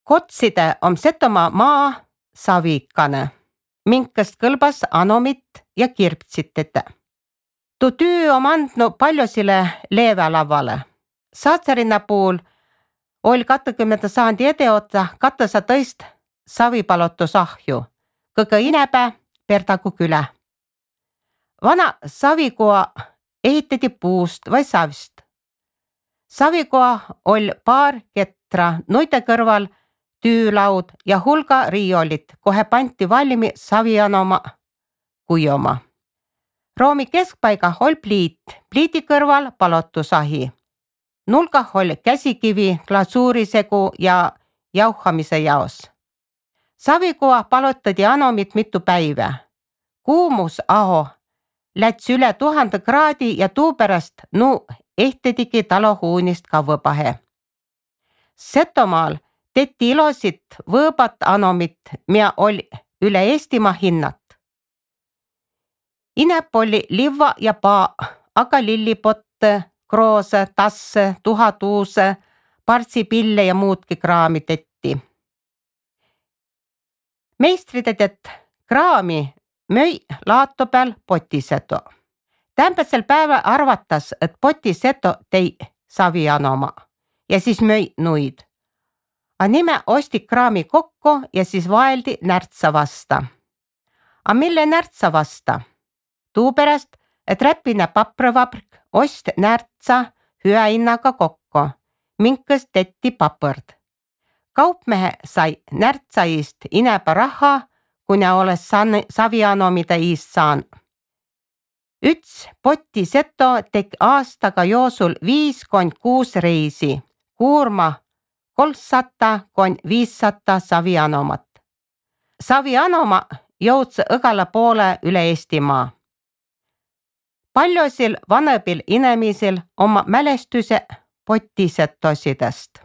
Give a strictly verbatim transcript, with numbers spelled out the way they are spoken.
Kotside om Setomaa maa savikane, minkast kõlbas anomit ja kirptsitete. Tuu tüü om andnu paljusile leevälavale. Saatsarina puul oli kakskümmend saandi edeotsa kattasa tõist savipalotusahju, kõige inebe Perdagu külä. Vana savikoa ehitati puust vai savist. Savikoa oli paar ketra noite kõrval tüülaud ja hulga riiolit, kohe panti valmi savianoma kuioma. Roomi keskpaiga oli pliit, pliiti kõrval palotusahi. Nulgah oli käsikivi, glasuurisegu ja jauhamise jaos. Savikoa palotati anomit mitu päivä. Kuumus aho läts üle tuhande kraadi ja tuupärast nu ehtedigi talohuunist kavvõpahe. Setomaal tetti ilosit võõbat anomit, mida oli üle Eestimaa hinnat. Inep oli livva ja paa, aga lillipotte, kroose, tasse, tuhatuuse, partsipille ja muudki kraami tetti. Meistridedet kraami möi laato peal potiseto. Tämbäsel päeval arvatas, et potiseto tei savianoma ja siis möi nuid. A nime osti kraami kokku ja siis vaeldi närtsa vasta. A mille närtsa vasta? Tuupärast, et Räpina paprõvabrik ost närtsa hüä hinnaga kokku, minkõst tetti papõrd. Kaupmehe sai närtsaist ineba raha, kuna oles savianomide iist saan. Üts potiseto teki aastaga joosul viis kond kuus reisi, kuurma kolmsada kond viissada savianomat. Savianoma jõudse õgala poole üle Eestimaa. Paljusil vanebil inemisil oma mälestuse potisetosidest.